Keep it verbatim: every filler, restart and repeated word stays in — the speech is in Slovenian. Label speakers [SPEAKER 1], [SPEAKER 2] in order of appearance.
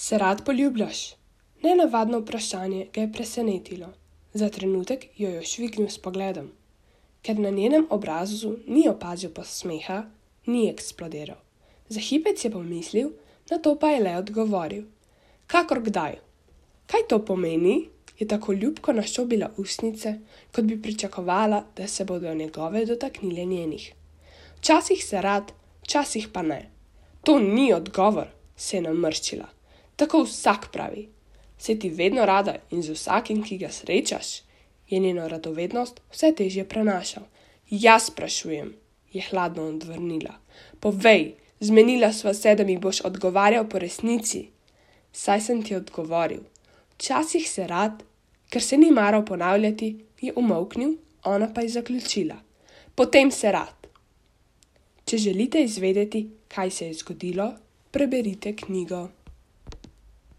[SPEAKER 1] Se rad poljubljaš? Nenavadno vprašanje ga je presenetilo. Za trenutek jo je švignil s pogledom. Ker na njenem obrazu ni opazil posmeha, ni eksplodiral. Za hipec je pomislil, nato pa je le odgovoril. Kakor kdaj. Kaj to pomeni? Je tako ljubko naščobila ustnice, kot bi pričakovala, da se bodo njegove dotaknile njenih. Včasih se rad, včasih pa ne. To ni odgovor, se je namrščila. Tako vsak pravi. Se ti vedno rada in z vsakim, ki ga srečaš? Je njeno radovednost vse težje prenašal. Jaz sprašujem, je hladno odvrnila. Povej, zmenila sva se, da mi boš odgovarjal po resnici. Saj sem ti odgovoril. Včasih se rad, ker se ni maral ponavljati, je umolknil, ona pa je zaključila. Potem se rad. Če želite izvedeti, kaj se je zgodilo, preberite knjigo.